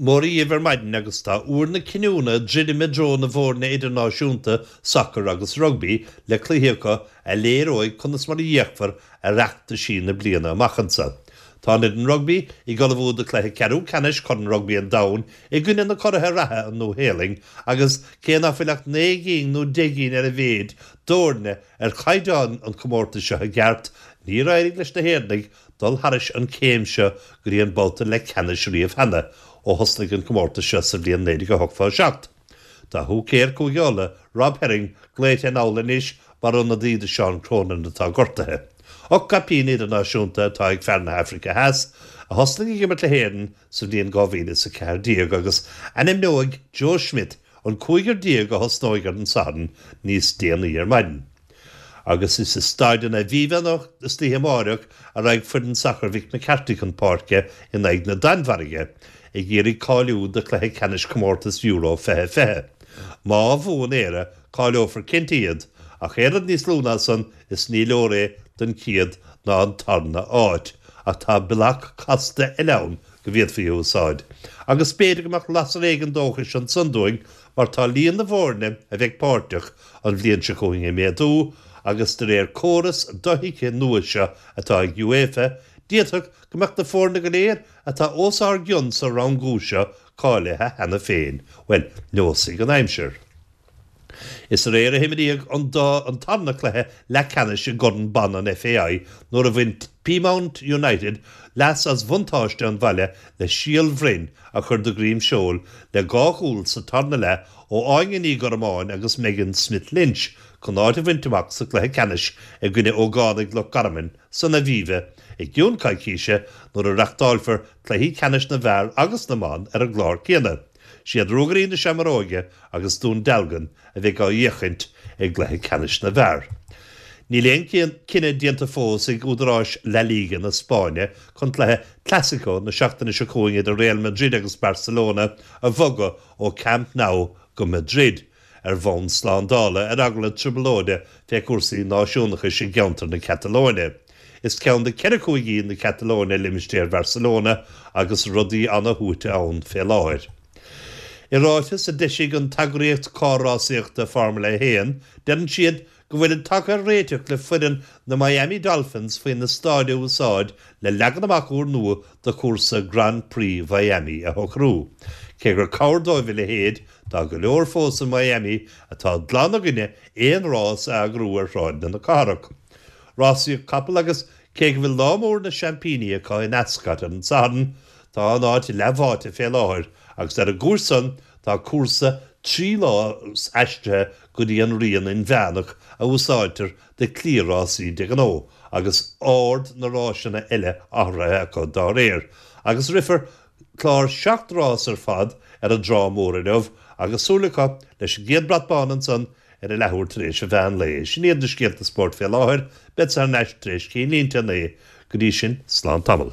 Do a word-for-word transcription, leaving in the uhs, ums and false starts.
Mora dhaoibh ar maidin agus tá uair na cinniúna druidim i dtreo na bhfoirne idirnáisiúnta sacair agus rugbaí le cluichí acu a léireoidh conas mar a fhéachfar ar fheachtaisí na bliana amach anseo. Tá an fhoireann rugbaí ag ullmhú do chluiche ceathrú ceannais Chorn Rugbaí an Domhain i gcoinne na curaithe reatha an Nua-Shéalainn agus cé nach bhfuil ach naoi gcinn nó deich gcinn ar a mhéid d'fhoirne ar chaighdeán an chomórtais seo i gceart, níor éirigh leis na hÉireannaigh dul thairis an chéim seo go dtí an babhta leathcheannais riamh cheana ó thosnaigh an comórtas seo sa bhliain naoi déag a hochtó a seacht. Tá húicéir Chúige Uladh, Rob Herring, glaoite anall anois mar ionadaí do Seán Cronin atá gortaithe. Ocht gcaipín idirnáisiúnta atá ag fear na hAfraice Theas, a thosnaigh ag imirt le hÉirinn sa bhliain dhá mhíle is a ceathair déag agus ainmneoidh Joe Schmidt an cúigear déag a thosnóidh ar an Satharn níos déanaí ar maidin. Agus is i Staid an Aviva anocht istoíche amáireach a raghaidh foireann sacair Mhick McCarthy chun páirce in aghaidh na Danmhairge ag iarraidh cáiliú do chluiche ceannais chomórtas Euro fiche fiche. Má bhuann Éire, cáileofar cinnte iad, ach aon rud níos lú ná san is ní leor é don chéad ná an tarna áit. Ach tá bealach casta eile ann go bhféadfaí a úsáid. Agus b'fhéidir go mbeadh lasair éigin dóchais ansan dúinn mar tá líon na bhfoirne a bheidh páirteach an bhliain seo chugainn ag méadú agus de réir córas dothuigthe nua seo atá ag UEFA, d'fhéadfadh go mbeadh na foirne go léir atá os ár gcionn sa rangú seo cáilithe cheana féin. Bhuel, neosfaidh an aimsir. Is aréir a himríodh an dá an tarna cluiche leathcheannais i gCorn Ban an FAI nuair a bhain Peamount United leas as bhuntáiste an bhaile le síol bhroin a chur de dhroim seoil le dhá chúl sa tarna leath ó Áine Ní Ghormáin agus Megan Smith Lynch chun áit a bhaint amach sa chluiche ceannais i gcoinne ógánaigh Loch Garman san Aviva i gcionn coicíse nuair a reáchtálfar cluichí ceannais na bhfear agus na mban ar an gclár céanna. Siad Ruagairí na Seamróige agus Dún Dealgan a bheidh á fhéachaint i gcluiche ceannais na bhfear. Níl aon cinneadh déanta fós ag údaráis La Liga na Spáinne chun cluiche Clásico na seachtaine seo chugainn idir Real Madrid agus Barcelona a bhogadh ó Camp Nou go Madrid ar bhonn slándála ar eagla trioblóide fé chúrsaí náisiúnachais i gceantar na Catalóine. Is ceann de cheithre chúigí na Catalóine limistéar Bharcelona agus rudaí ana-shuaite ann fé láthair. I ráiteas a d'eisigh an t-eagraíocht carr-rásaíochta Formula a haon, deireann siad go bhfuilid tagtha ar réiteach le foireann na Miami Dolphins faoina staid a úsáid le leagan amach úrnua do chúrsa Grand Prix Mhiami a shocrú. Cé gur cabhair dóibh a leithéid, tá go leor fós i Miami atá glan i gcoinne aon rás a eagrú ar shráideanna na cathrach. Rásaíocht capall agus cé go bhfuil lá mór na seaimpíní acu in Ascot ar an Satharn, tá an áit leathbháite fé láthair agus ar an gcúis san tá cúrsa trí lá aistrithe go dtí an rian inmheánach a úsáidtear do chliathrásaí de ghnáth agus ord na ráiseanna eile athraithe acu dá réir agus rithfear clár seacht rás ar fad ar an dTrá Mhór inniu agus súil acu leis an gcéad brat bán ansan ar a leathuair tar éis an mheán lae. Sin iad na scéalta spóirt fé láthair, beadsa thar n-ais tar éis cinnlínte a naoi, go dtí sin, slán tamall.